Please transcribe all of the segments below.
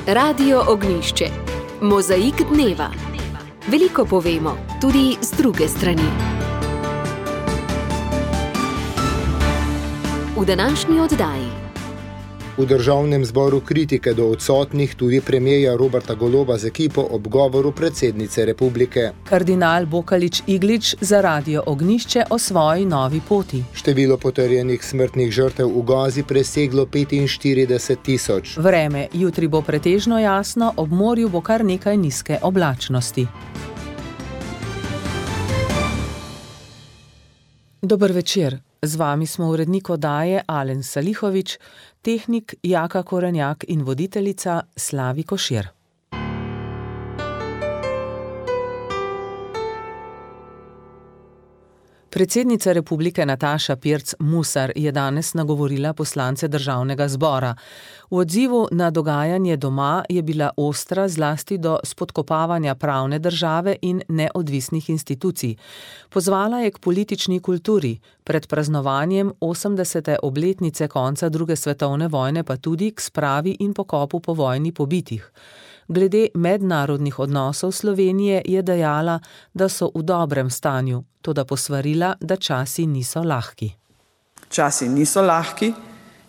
Radio Ognjišče. Mozaik dneva. Veliko povemo, tudi z druge strani. V današnji oddaji. V državnem zboru kritike do odsotnih tudi premierja Roberta Goloba z ekipo ob govoru predsednice republike. Kardinal Bokalič Iglič za Radio Ognjišče o svoji novi poti. Število potrjenih smrtnih žrtev v Gazi preseglo 45.000. Vreme, jutri bo pretežno jasno, ob morju bo kar nekaj nizke oblačnosti. Dober večer. Z vami smo urednik oddaje Alen Salihovič, tehnik Jaka Korenjak in voditeljica Slavi Košir. Predsednica republike Nataša Pirc Musar je danes nagovorila poslance državnega zbora. V odzivu na dogajanje doma je bila ostra zlasti do spodkopavanja pravne države in neodvisnih institucij. Pozvala je k politični kulturi, pred praznovanjem 80. obletnice konca druge svetovne vojne pa tudi k spravi in pokopu po vojni pobitih. Glede mednarodnih odnosov Slovenije je dejala, da so v dobrem stanju, toda posvarila, da časi niso lahki. Časi niso lahki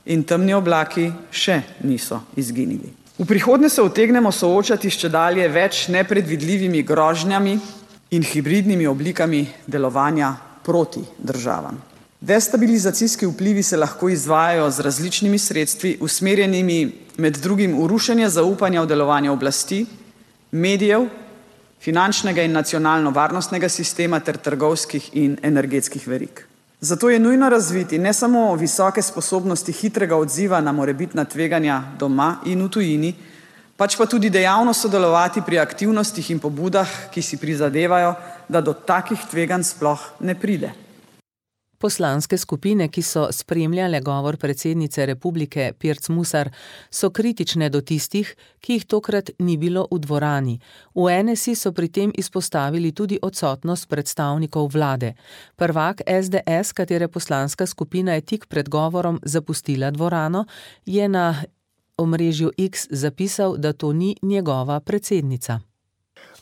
in temni oblaki še niso izginili. V prihodnje se utegnemo soočati s čedalje več nepredvidljivimi grožnjami in hibridnimi oblikami delovanja proti državam. Destabilizacijski vplivi se lahko izvajajo z različnimi sredstvi, usmerjenimi med drugim v rušenje zaupanja v delovanje oblasti, medijev, finančnega in nacionalno-varnostnega sistema ter trgovskih in energetskih verig. Zato je nujno razviti ne samo visoke sposobnosti hitrega odziva na morebitna tveganja doma in v tujini, pač pa tudi dejavno sodelovati pri aktivnostih in pobudah, ki si prizadevajo, da do takih tveganj sploh ne pride. Poslanske skupine, ki so spremljale govor predsednice republike Pirc Musar, so kritične do tistih, ki jih tokrat ni bilo v dvorani. V NSI so pri tem izpostavili tudi odsotnost predstavnikov vlade. Prvak SDS, katere poslanska skupina je tik pred govorom zapustila dvorano, je na omrežju X zapisal, da to ni njegova predsednica.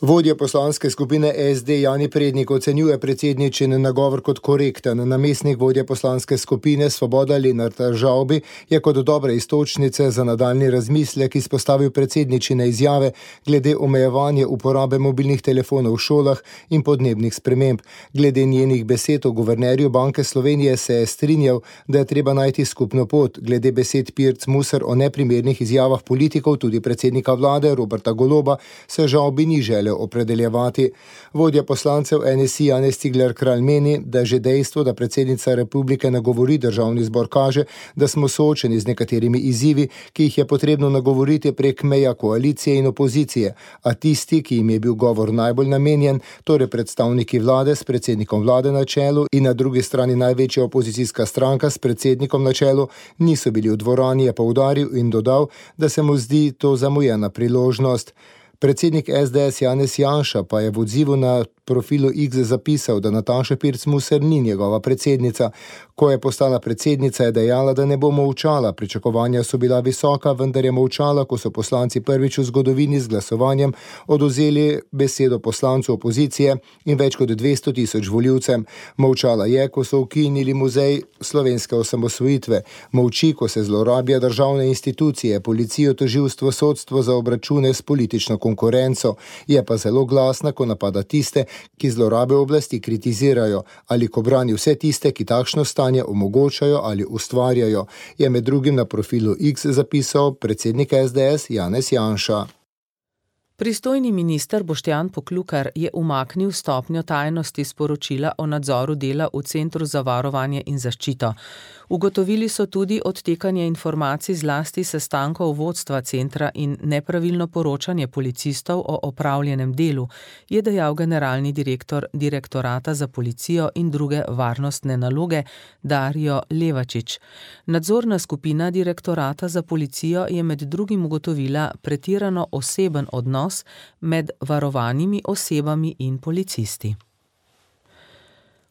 Vodja poslanske skupine SD Jani Prednik ocenjuje predsedničin nagovor kot korekten. Namestnik vodja poslanske skupine Svoboda Lenart Žavbi je kot dobre iztočnice za nadaljnji razmislek izpostavil predsedničine izjave glede omejevanja uporabe mobilnih telefonov v šolah in podnebnih sprememb. Glede njenih besed o guvernerju Banke Slovenije se je strinjal, da je treba najti skupno pot. Glede besed Pirc Musar o neprimernih izjavah politikov, tudi predsednika vlade Roberta Goloba, se Žavbi ni želel opredeljevati. Vodja poslancev NSI Janez Cigler Kralj meni, da že dejstvo, da predsednica republike nagovori državni zbor, kaže, da smo soočeni z nekaterimi izzivi, ki jih je potrebno nagovoriti prek meja koalicije in opozicije, a tisti, ki jim je bil govor najbolj namenjen, torej predstavniki vlade s predsednikom vlade na čelu in na drugi strani največja opozicijska stranka s predsednikom na čelu, niso bili v dvorani, je poudaril in dodal, da se mu zdi to zamujena priložnost. Predsednik SDS Janez Janša pa je v odzivu na profilu X zapisal, da Nataša Pirc Musar ni njegova predsednica. Ko je postala predsednica, je dejala, da ne bo molčala. Pričakovanja so bila visoka, vendar je molčala, ko so poslanci prvič v zgodovini z glasovanjem odvzeli besedo poslancu opozicije in več kot 200.000 volivcem. Molčala je, ko so ukinili muzej slovenske osamosvojitve. Molči, ko se zlorablja državne institucije, policijo, tožilstvo, sodstvo za obračune s politično konkurenco. Je pa zelo glasna, ko napada tiste, ki zlorabe oblasti kritizirajo, ali ko brani vse tiste, ki takšno stanje omogočajo ali ustvarjajo, je med drugim na profilu X zapisal predsednik SDS Janez Janša. Pristojni minister Boštjan Poklukar je umaknil stopnjo tajnosti sporočila o nadzoru dela v Centru za varovanje in zaščito. Ugotovili so tudi odtekanje informacij zlasti sestankov vodstva centra in nepravilno poročanje policistov o opravljenem delu, je dejal generalni direktor Direktorata za policijo in druge varnostne naloge Dario Levačič. Nadzorna skupina Direktorata za policijo je med drugim ugotovila pretirano oseben odnos med varovanimi osebami in policisti.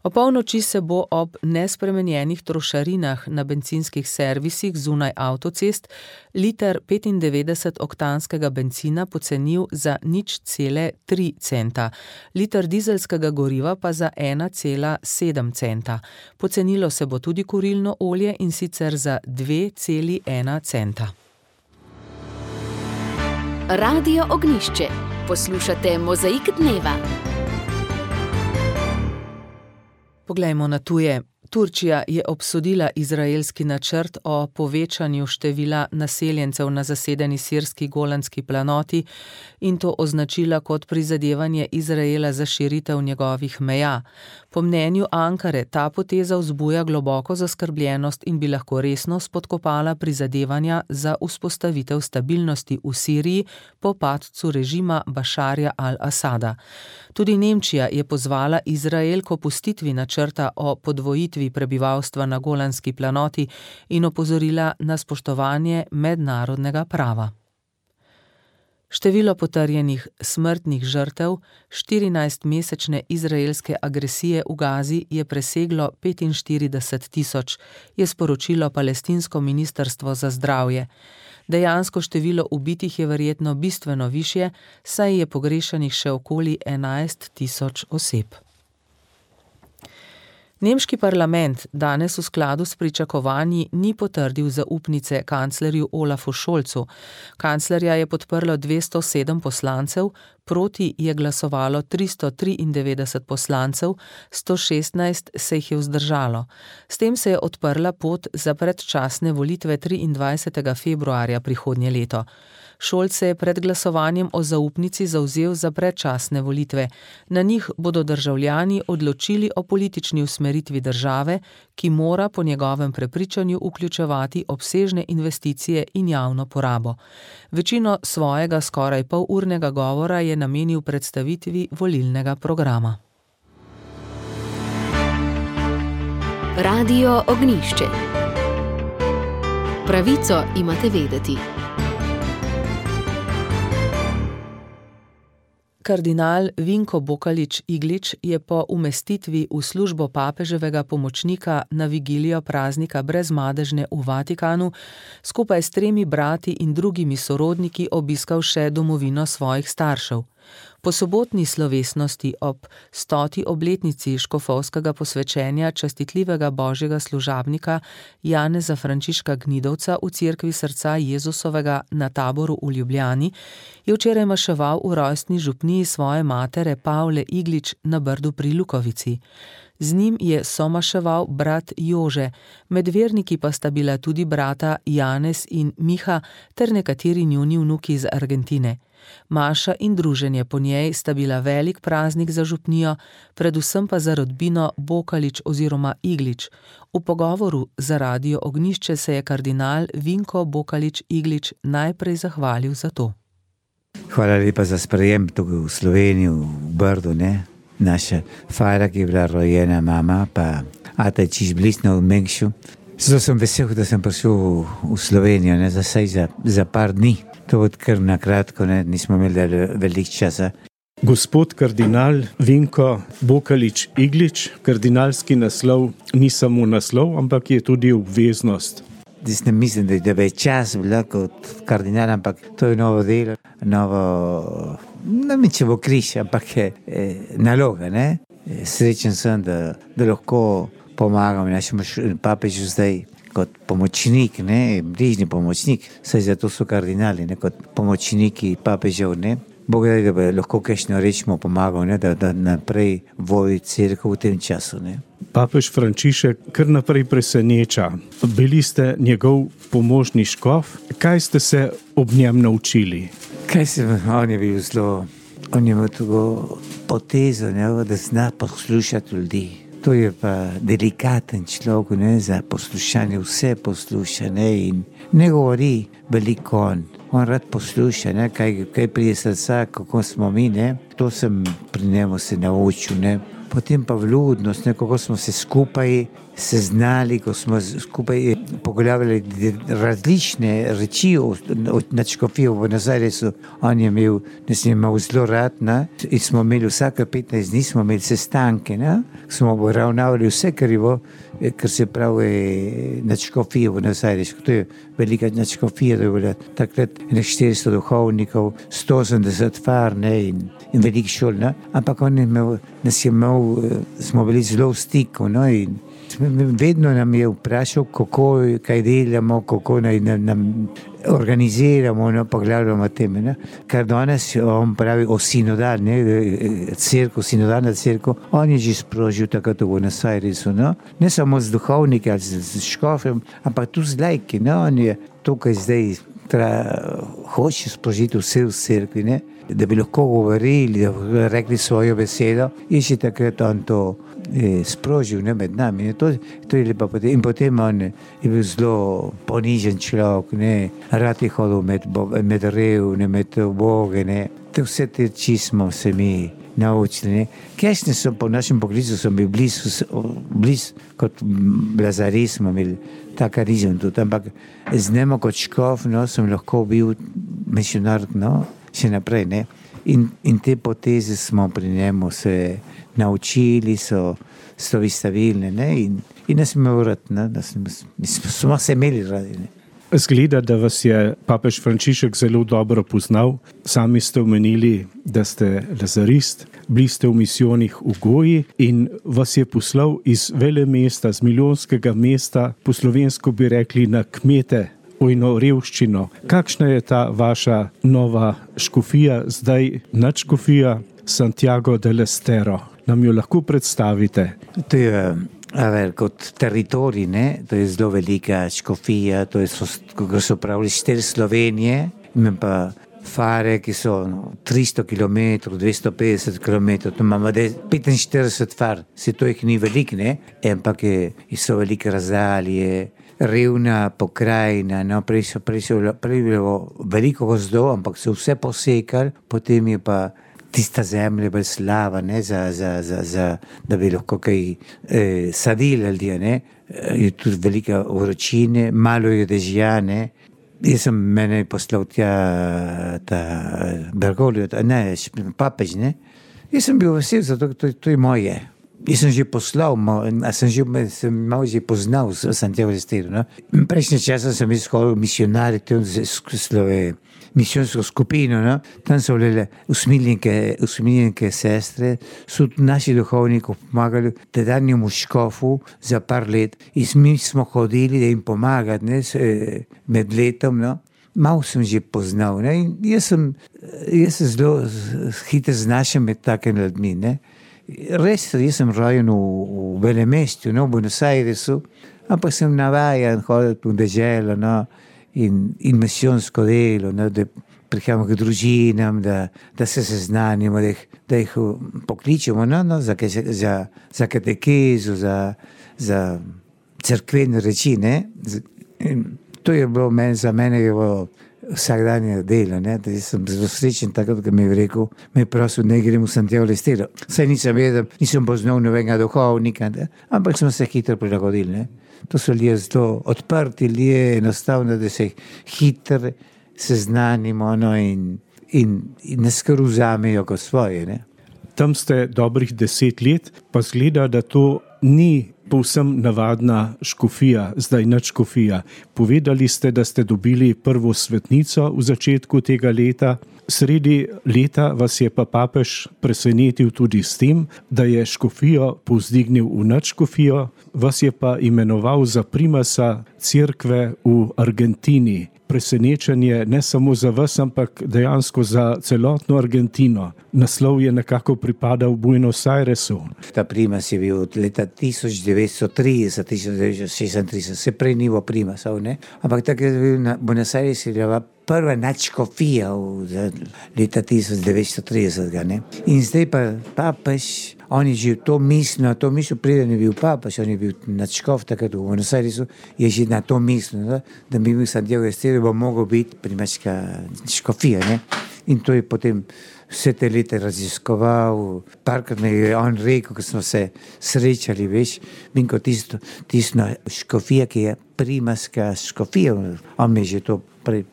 O polnoči se bo ob nespremenjenih trošarinah na bencinskih servisih zunaj avtocest liter 95-oktanskega bencina pocenil za 0,3 centa, liter dizelskega goriva pa za 1,7 centa. Pocenilo se bo tudi kurilno olje, in sicer za 2,1 centa. Radio Ognjišče. Poslušate Mozaik dneva. Poglejmo na tuje. Turčija je obsodila izraelski načrt o povečanju števila naseljencev na zasedeni sirski Golanski planoti in to označila kot prizadevanje Izraela za širitev njegovih meja. Po mnenju Ankare ta poteza vzbuja globoko zaskrbljenost in bi lahko resno spodkopala prizadevanja za vzpostavitev stabilnosti v Siriji po padcu režima Bašarja al-Asada. Tudi Nemčija je pozvala Izrael k opustitvi načrta o podvojitvi prebivalstva na Golanski planoti in opozorila na spoštovanje mednarodnega prava. Število potrjenih smrtnih žrtev 14-mesečne izraelske agresije v Gazi je preseglo 45.000, je sporočilo palestinsko ministrstvo za zdravje. Dejansko število ubitih je verjetno bistveno višje, saj je pogrešanih še okoli 11.000 oseb. Nemški parlament danes v skladu s pričakovanji ni potrdil zaupnice kanclerju Olafu Scholzu. Kanclerja je podprlo 207 poslancev, proti je glasovalo 393 poslancev, 116 se jih je vzdržalo. S tem se je odprla pot za predčasne volitve 23. februarja prihodnje leto. Scholz se je pred glasovanjem o zaupnici zavzel za predčasne volitve. Na njih bodo državljani odločili o politični usmeritvi države, ki mora po njegovem prepričanju vključevati obsežne investicije in javno porabo. Večino svojega skoraj polurnega govora je namenil predstavitvi volilnega programa. Radio Ognjišče. Pravico imate vedeti. Kardinal Vinko Bokalič-Iglič je po umestitvi v službo papeževega pomočnika na vigilijo praznika brezmadežne v Vatikanu skupaj s 3 brati in drugimi sorodniki obiskal še domovino svojih staršev. Po sobotni slovesnosti ob 100. obletnici škofovskega posvečenja častitljivega božjega služabnika Janeza Frančiška Gnidovca v cerkvi srca Jezusovega na Taboru v Ljubljani je včeraj maševal v rojstni župniji svoje matere Pavle Iglič na Brdu pri Lukovici. Z njim je somaševal brat Jože, med verniki pa sta bila tudi brata Janez in Miha ter nekateri njuni vnuki iz Argentine. Maša in druženje po njej sta bila velik praznik za župnijo, predvsem pa za rodbino Bokalič oziroma Iglič. V pogovoru za Radio Ognjišče se je kardinal Vinko Bokalič-Iglič najprej zahvalil za to. Hvala lepa za sprejem tukaj v Sloveniji, v Brdu, ne? Naša Fajra, ki je bila rojena mama, pa ata je čiš bližno v Mengšu. Zato sem vesel, da sem prišel v Slovenijo, ne? Za par dni. To odkar na kratko, ne? Nismo imeli veliko časa. Gospod kardinal Vinko Bokalič-Iglič, kardinalski naslov ni samo naslov, ampak je tudi obveznost. Jaz ne mislim, da je čas bila kot kardinal, ampak to je novo delo, ne vem, če bo križ, ampak je naloga, ne? Srečen sem, da lahko pomagam našemu papežu zdaj kot pomočnik, ne? Bližnji pomočnik, saj zato so kardinali, ne? Kot pomočniki papežev, ne? Bog da bi lahko kakšno rečemo pomagal, ne? Da naprej vodi cerkev v tem času, ne? Papež Frančišek kar naprej preseneča. Bili ste njegov pomožni škof. Kaj ste se ob njem naučili? On je bil zelo, on je imel tako potezo, ne? Da zna poslušati ljudi. To je pa delikaten človek, ne? Za poslušanje, vse posluša, ne? In ne govori veliko on. On rad posluša, ne? Kaj prije srca, kako smo mi, ne? To sem pri njemu se naučil, ne? Potem pa vljudnost, ne, kako smo se skupaj se znali, ko smo skupaj pogovarjali različne reči na škofijo v Buenos Airesu. On je imel, nas je imel zelo rad, ne? In smo imeli vsake 15 dni, smo imeli sestanke, ne? Smo obravnavali vse, kar se pravi na škofijo v Buenos Airesu. To je velika nadškofija, da je bila takrat 400 duhovnikov, 180 far, ne? In velik šol, ne? Ampak on je imel, nas je imel, smo bili zelo v stiku, no? In vedno nam je vprašal, kaj delamo, kako nam organiziramo, no, pogledamo teme, ne. Kar danes on pravi o sinodal, ne, sinodalna cerkev, on je že sprožil takrat v Buenos Airesu, no. Ne samo z duhovniki ali z škofjem, ampak tudi z lajki, no, on je tukaj zdaj hoče sprožiti vse v cerkvi, ne, da bi lahko govorili, da bi rekli svojo besedo, in še takrat on to sprožil, ne, med nami. Ne. To je lepa potem. In potem on je bil zelo ponižen človek, ne, rad je hodil med revne, med uboge, ne. Vse te či smo se mi naučili, ne. Kasneje so po našem poklicu so bili blizu kot Lazari, smo imeli ta karizem tudi, ampak z njim kot škof, no, sem lahko bil misionar, no, še naprej, ne. In te poteze smo pri njemu se naučili, so vystavili, ne, in nas imel rad, ne, smo se imeli radi, ne. Zgleda, da vas je papež Frančišek zelo dobro poznal. Sami ste omenili, da ste lazarist, bili ste v misijonih v Goji in vas je poslal iz velemesta, z milijonskega mesta, po slovensko bi rekli na kmete, ojno revščino. Kakšna je ta vaša nova škofija, zdaj nadškofija Santiago del Estero? Nam jo lahko predstavite? To je kot teritorij, ne, to je zelo velika škofija, to je, kako so pravili, 4 Slovenije, imam pa fare, ki so 300 km, 250 km, to imamo 45 far, se to jih ni veliko, ne, ampak so velike razdalje, revna pokrajina, no, prej bilo veliko gozdov, ampak so vse posekali, potem je pa tista zemlja bolj slava, ne, da bi lahko kaj sadili ljudje, ne. Je tudi velika vročine, malo je dežja, ne. Mene je poslal tja ta Bergoglio, ne, papež, ne. Jaz sem bil vesel, zato to je moje. Jaz sem že poslal, sem malo že poznal Santiago del Estero, no. Prejšnje časa sem izhodil misionarje, misijonsko skupino, no. Tam so bile usmiljenke sestre, so naši duhovniki pomagali tedanjemu škofu za par let in mi smo hodili, da jim pomagati, ne, med letom, no. Malo sem že poznal, ne. In jaz se zelo hitro znašam med takimi ljudmi, ne. Res, jaz sem rojen v velemestu, no, v Buenos Airesu, ampak sem navajen hoditi v deželo, no, in misijonsko delo, no, da prihajamo k družinam, da se seznanimo, da jih pokličemo, no, za katekezo, za cerkvene reči, ne. In to je bilo za mene je bilo vsakdanje delo, ne, da sem zelo srečen takrat, ko mi je rekel, me je prosil, ne grem v Santiago del Estero. Saj nisem poznal nobenega duhovnika, ne, ampak smo se hitro prilagodili, ne. To so ljudje zelo odprti, ljudje enostavno, da se hitro seznanimo, no, in nas kar vzamejo kot svoje, ne. Tam ste dobrih 10 let, pa zgleda, da to ni povsem navadna škofija, zdaj nadškofija. Povedali ste, da ste dobili prvo svetnico v začetku tega leta. Sredi leta vas je pa papež presenetil tudi s tem, da je škofijo povzdignil v nadškofijo, vas je pa imenoval za primasa cerkve v Argentini. Presenečenje ne samo za vas, ampak dejansko za celotno Argentino. Naslov je nekako pripadal Buenos Airesu. Ta primas je bil od leta 1930, 1936, se prej ni bilo primasov, ne? Ampak tako je bil na Buenos Aires je bila prva nadškofija leta 1930, ne? In zdaj pa papež, on je že to mislil, preden je bil papež, on je bil nadškof takrat v Buenos Airesu, je že na to mislil, da bi bil Santiago del Estero, bo mogel biti primaška škofija, ne? In to je potem vse te leta raziskoval. Parkrat mi je on rekel, ko smo se srečali, veš, Vinko, tisto škofija, ki je primarska škofija, on mi je že to prej.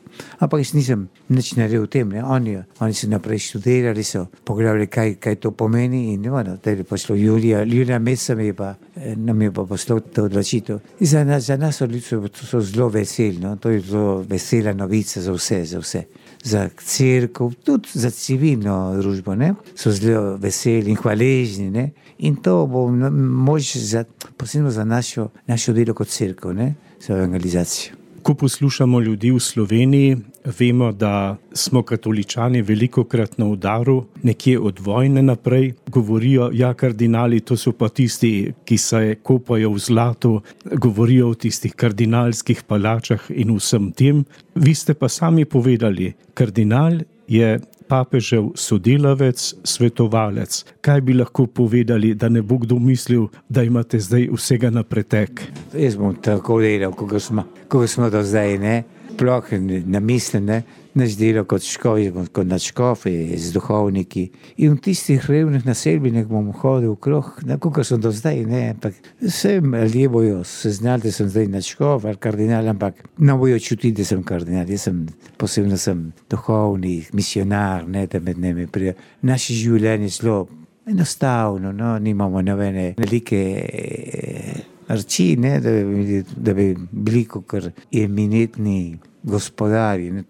Ampak jaz nisem nič naredil v tem, ne. Oni so naprej študirali, so pogledali, kaj to pomeni in da je pošlo Julija meseca nam je pa poslal to odločitev. In za nas so zelo veseli, no. To je zelo vesela novica za vse. Za cerkev, tudi za civilno družbo, ne. So zelo veseli in hvaležni, ne. In to bo mož posebno za našo delo kot cerkev, ne, za evangelizacijo. Ko poslušamo ljudi v Sloveniji, vemo, da smo katoličani velikokrat na udaru, nekje od vojne naprej. Govorijo, ja, kardinali, to so pa tisti, ki se kopajo v zlatu, govorijo o tistih kardinalskih palačah in vsem tem. Vi ste pa sami povedali, kardinal je papežev sodelavec, svetovalec. Kaj bi lahko povedali, da ne bo kdo mislil, da imate zdaj vsega na pretek? Jaz bom tako delal, kako smo do zdaj, ne? Sploh ne mislim, ne? Naš delo kot škofi, kot nadškofi, z duhovniki. In v tistih revnih naselbinah bom hodil okrog, kako sem do zdaj, ne? Ampak vse ljudje bojo se znali, da sem zdaj nadškof ali kardinal, ampak ne bojo čutiti, da sem kardinal. Posebno sem duhovni, misionar, ne, da med njimi pride. Naše življenje je zelo enostavno, no? Nimamo nobene velike reči, ne, da bi bili kakor eminentni gospodari. Ne.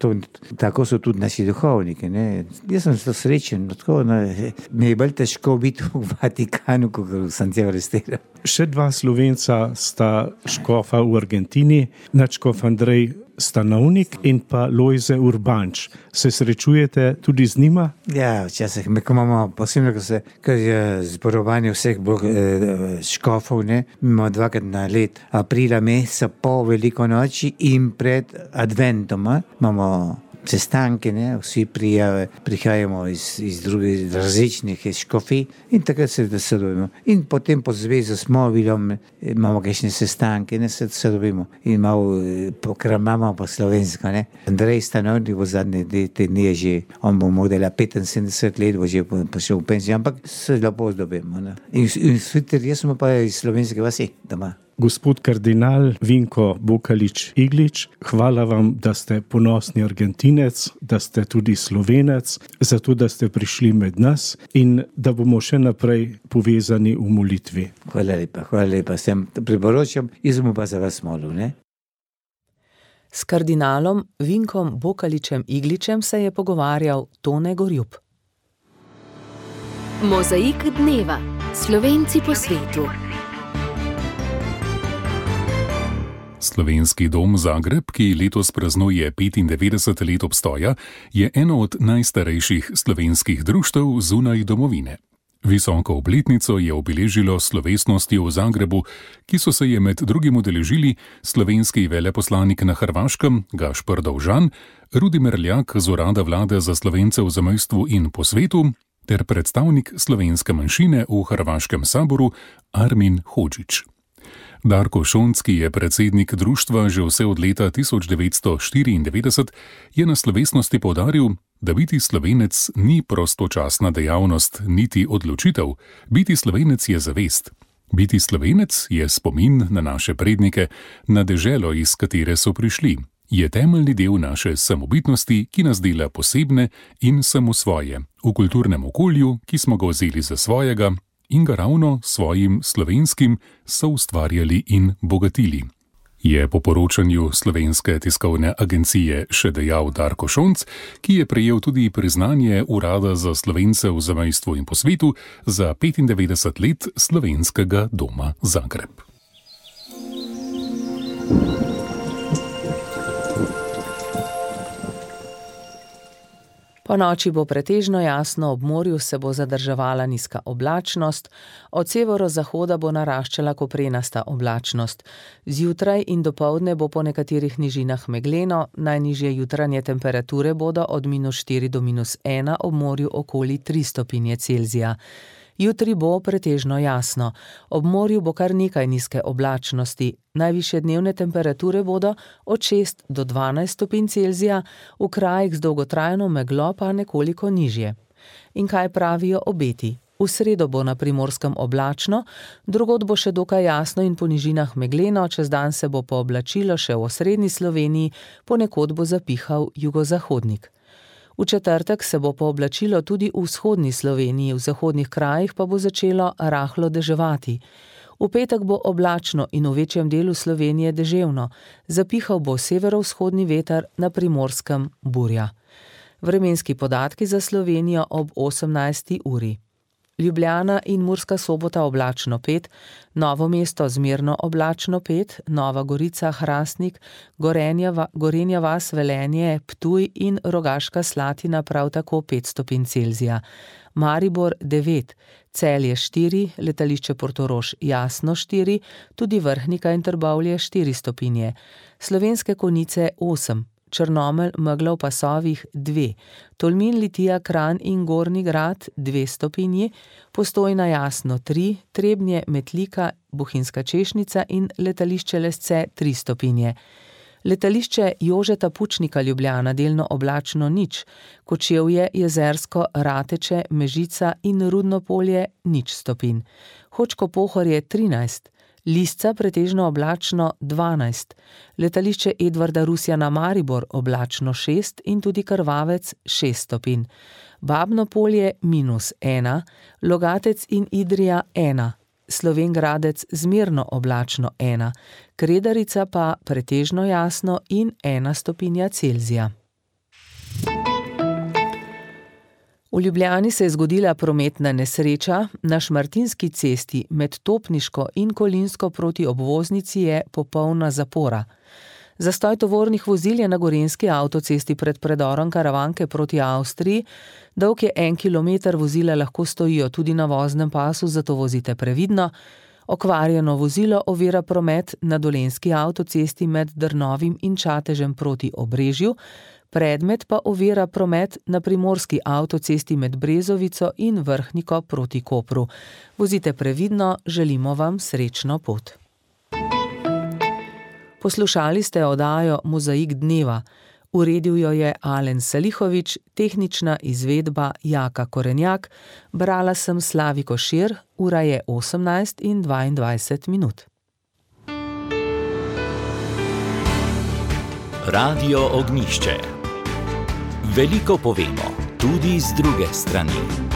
Tako so tudi naši duhovniki. Ne. Jaz sem zelo srečen, tako, no, mi je bolj težko biti v Vatikanu, kot v Santiago de Estero. Še dva Slovenca sta škofa v Argentini, nadškof Andrej Stanovnik in pa Lojze Urbanč. Se srečujete tudi z njima? Ja, včasih ko imamo posebno, ker je zborovanje vseh škofov, ne, imamo dvakrat na let, aprila meseca po Veliko noči in pred adventom, imamo sestanke, ne, vsi prihajamo iz drugih različnih škofij in takrat se dobimo. In potem po zvezi s mobilom imamo kakšne sestanke, ne, se dobimo in malo pokramamo po slovensko, ne. Andrej Stanovnik bo zadnje te dni že, on bo modela 75 let, bo že prišel v penzijo, ampak se lepo dobimo, ne. In jaz smo pa iz slovenske vasi doma. Gospod kardinal Vinko Bokalič-Iglič, hvala vam, da ste ponosni Argentinec, da ste tudi Slovenec, zato da ste prišli med nas in da bomo še naprej povezani v molitvi. Hvala lepa, sem priporočam, jaz bom pa za vas molil, ne? S kardinalom Vinkom Bokaličem-Igličem se je pogovarjal Tone Gorjup. Mozaik dneva. Slovenci po svetu. Slovenski dom Zagreb, ki letos praznuje 95 let obstoja, je eno od najstarejših slovenskih društev zunaj domovine. Visoko obletnico je obeležilo slovesnosti v Zagrebu, ki so se je med drugim udeležili slovenski veleposlanik na Hrvaškem Gašper Dovžan, Rudi Merljak z urada vlade za Slovence v zamejstvu in po svetu ter predstavnik slovenske manjšine v Hrvaškem saboru Armin Hodžić. Darko Šonc, ki je predsednik društva že vse od leta 1994, je na slovesnosti poudaril, da biti Slovenec ni prostočasna dejavnost, niti odločitev. Biti Slovenec je zavest. Biti Slovenec je spomin na naše prednike, na deželo, iz katere so prišli. Je temeljni del naše samobitnosti, ki nas dela posebne in samosvoje, v kulturnem okolju, ki smo ga vzeli za svojega in ga ravno svojim slovenskim soustvarjali in bogatili. Je po poročanju Slovenske tiskovne agencije še dejal Darko Šonc, ki je prejel tudi priznanje Urada za Slovence v zamejstvu in po svetu za 95 let Slovenskega doma Zagreb. Po noči bo pretežno jasno, ob morju se bo zadrževala nizka oblačnost, od severozahoda bo naraščala koprenasta oblačnost. Zjutraj in dopoldne bo po nekaterih nižinah megleno, najnižje jutranje temperature bodo od -4 do -1, ob morju okoli 3 stopinje Celzija. Jutri bo pretežno jasno. Ob morju bo kar nekaj nizke oblačnosti. Najvišje dnevne temperature bodo od 6 do 12 stopinj Celzija, v krajih z dolgotrajno meglo pa nekoliko nižje. In kaj pravijo obeti? V sredo bo na Primorskem oblačno, drugod bo še dokaj jasno in po nižinah megleno, čez dan se bo pooblačilo še v osrednji Sloveniji, ponekod bo zapihal jugozahodnik. V četrtek se bo pooblačilo tudi v vzhodni Sloveniji, v zahodnih krajih pa bo začelo rahlo deževati. V petek bo oblačno in v večjem delu Slovenije deževno, zapihal bo severovzhodni veter, na Primorskem burja. Vremenski podatki za Slovenijo ob 18. uri. Ljubljana in Murska Sobota oblačno 5, Novo mesto zmerno oblačno 5, Nova Gorica, Hrastnik, Gorenja vas, Velenje, Ptuj in Rogaška Slatina prav tako 5 stopinj Celzija. Maribor 9, Celje 4, letališče Portorož jasno 4, tudi Vrhnika in Trbovlje 4 stopinje. Slovenske Konjice 8, Črnomelj, megla v pasovih 2, Tolmin, Litija, Kranj in Gornji Grad 2 stopinji, Postojna jasno 3, Trebnje, Metlika, Bohinjska Češnica in letališče Lesce 3 stopinje. Letališče Jožeta Pučnika Ljubljana delno oblačno 0, Kočevje, Jezersko, Rateče, Mežica in Rudno Polje 0 stopinj. Hočko Pohorje 13, Lisca pretežno oblačno 12, letališče Edvarda Rusjana Maribor oblačno 6 in tudi Krvavec 6 stopinj. Babno Polje -1, Logatec in Idrija 1, Slovenj Gradec zmerno oblačno 1, Kredarica pa pretežno jasno in 1 stopinja Celzija. V Ljubljani se je zgodila prometna nesreča, na Šmartinski cesti med Topniško in Kolinsko proti obvoznici je popolna zapora. Zastoj tovornih vozil je na Gorenjski avtocesti pred predorom Karavanke proti Avstriji, dolg je 1 kilometer, vozila lahko stojijo tudi na voznem pasu, zato vozite previdno. Okvarjeno vozilo ovira promet na Dolenjski avtocesti med Drnovim in Čatežem proti Obrežju, predmet pa ovira promet na Primorski avtocesti med Brezovico in Vrhniko proti Kopru. Vozite previdno, želimo vam srečno pot. Poslušali ste oddajo Mozaik dneva. Uredil jo je Alen Salihovič, tehnična izvedba Jaka Korenjak, brala sem Slavi Košir, ura je 18:22. Radio Ognjišče. Veliko povemo, tudi z druge strani.